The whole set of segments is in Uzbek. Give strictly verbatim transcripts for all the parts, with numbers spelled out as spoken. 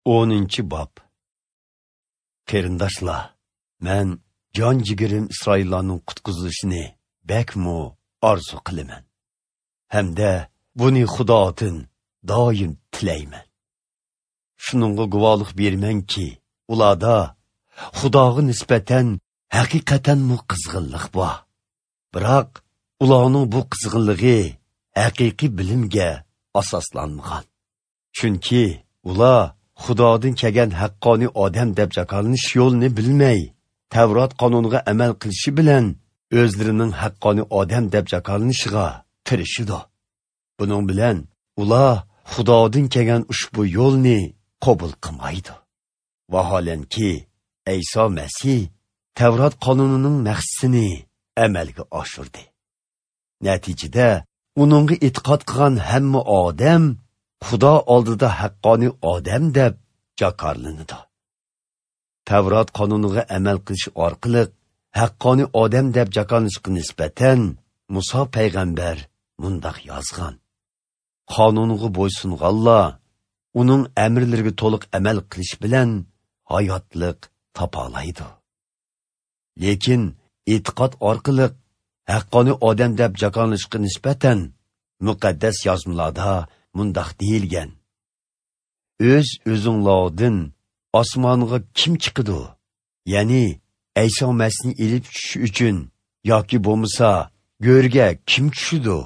O'ninchi bob. Qarindoshlar, men jon jigirim Isroillarning qutqizilishini bakmu orzu qilaman. Hamda buni Xudodan doim tilayman. Shuningga guvohlik bermanki, ularda Xudoga nisbatan haqiqatanmu qizg'inlik bor. Biroq ularning bu qizg'inligi haqiqiy bilimga asoslanmagan. Chunki ular Xudodan kelgan haqqoniy odam deb jakolanish yo'lini bilmay, Tavrat qonuniga amal qilishi bilan o'zlarining haqqoniy odam deb jakolanishiga tirishidi. Buning bilan ular Xudodan kelgan ushbu yo'lni qabul qilmaydi. Vaholanki, Ayso Masih Tavrat qonunining maqsadini amalga oshirdi. Natijada uningga e'tiqod qilgan hamma odam Xudo oldida haqqoniy odam deb jakorlanadi. Tavrat qonuniga amal qilish orqali haqqoniy odam deb jakorlanishga nisbatan Musa payg'ambar mundoq yozgan: Qonunga bo'ysunganlar uning amrlariga to'liq amal qilish bilan hayotliq topa oladi. Lekin e'tiqod orqali haqqoniy odam deb jakorlanishga nisbatan muqaddas yozmalarda mundoq deyilgan: O'z o'zinglardan osmonga kim chiqidi? Ya'ni Ayso Masihni elib tushish uchun yoki bo'lmasa go'rga kim tushidi?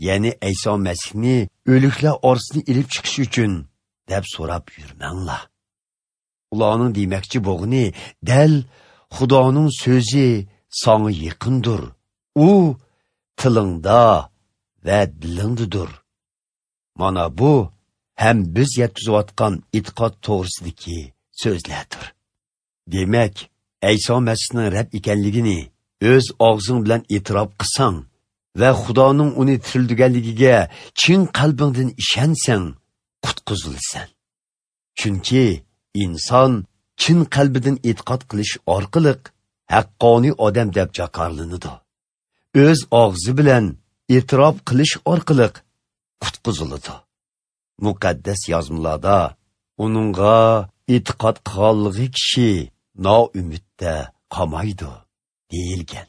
Ya'ni Ayso Masihni o'liklar orasidan elib chiqish uchun deb so'rab yurmanglar. Ularning demakchi bo'g'ini dal Xudoning so'zi sanga yaqindir. U tilingda va dilingdadir. Mana bu ham biz yetkazayotgan e'tiqod to'g'risidagi so'zlardir. Demak, Ayso Masihning Rab ekanligini o'z og'zing bilan e'tirof qilsang va Xudoning uni tirildirganligiga chin qalbingdan ishonsang, qutqizilsan. Chunki inson chin qalbidan e'tiqod qilish orqali haqqoniy odam deb jakorlanadi. O'z og'zi bilan e'tirof qilish orqali qutqiziladi. Muqaddas yozmalarda uningga e'tiqod qilganligi kishi noumidda qolmaydi deyilgan.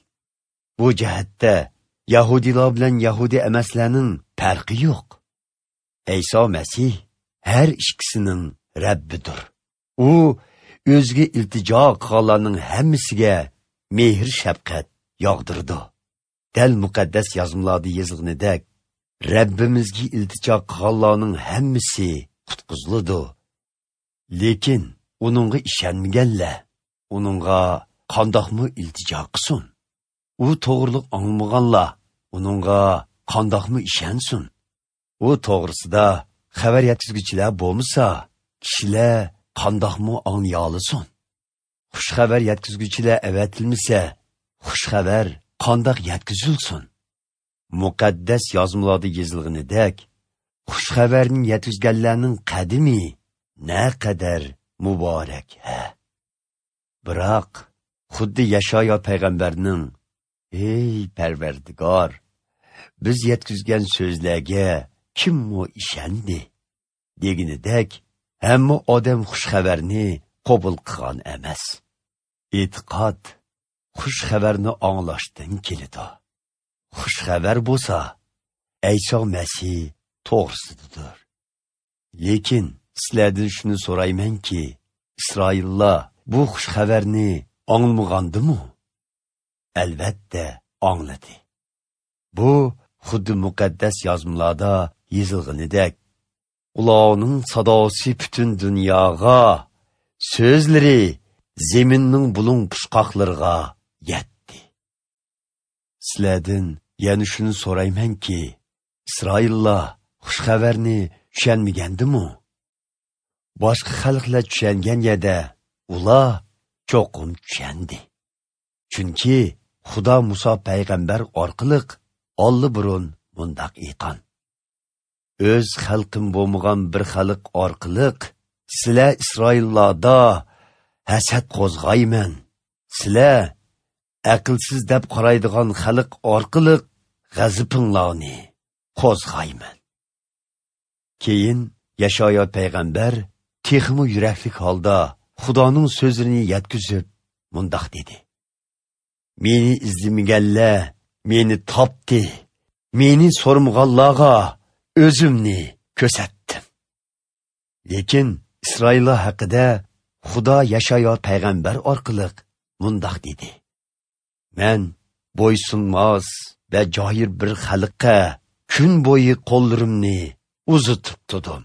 Bu jihatda yahudiylar bilan yahudi emaslarning farqi yo'q. Ayso Masih har ikkisining Rabbidir. U o'ziga iltijo qilganlarning hammasiga mehr shafqat yog'dirdi. Dal muqaddas yozmalarda yozilganidek, Rabbimizga iltijo qilganlarning hammasi qutqiziladi. Lekin uningga ishonmaganlar uningga qandoqmi iltijo qilsin? U to'g'riliq anglamaganlar uningga qandoqmi ishonsin? U to'g'risida xabar yetkazuvchilar bo'lmasa, kishilar qandoqmi anglay olsin? Xush xabar yetkazuvchilar avatilmasa, xush xabar qandoq yetkazilsin? Muqaddas yozmalarda yozilganidek, xush xabarni yetkazganlarning qadimi naqadar muborak ha. Biroq xuddi Yashayo payg'ambarning: "Ey Parvardigor, biz yetkazgan so'zlarga kimmi ishondi?" deganidek, hamma odam xush xabarni qabul qilgan emas. E'tiqod xush xabarni anglashdan keladi. Xush xabar bo'lsa, Ayso Masih to'g'risidir. Lekin sizlardan shuni so'raymanki, Isroillar bu xush xabarni anglamaganmi? Albatta angladi. Bu xuddi muqaddas yozmalarda yozilganidek, ularning sadosi butun dunyoga, so'zlari zeminning bulung pushqoqlariga yetdi. Sizlardan yana shuni so'raymanki, Isroillar xush xabarni tushunmagandimi? Boshqa xalqlar tushungan yerda ular cho'qim tushundi. Chunki Xudo Musa payg'ambar orqali olli burun mundoq aytgan: O'z xalqim bo'lmagan bir xalq orqali sizlar Isroillarda hasad qo'zg'ayman. Sizlar aqlsiz deb qaraydigan xalq orqali g'azabinglarni qo'zg'ayman. Keyin Yashayo payg'ambar Texmi yuraklik holda Xudoning so'zini yetkazib mundoq dedi: Meni izlamaganlar meni topdi, meni so'rmaganlarga o'zimni ko'rsatdim. Lekin Isroillar haqida Xudo Yashayo payg'ambar orqali mundoq dedi: Men bo'ysunmas va joyir bir xalqqa kun bo'yi qo'llarimni uzatib tudim.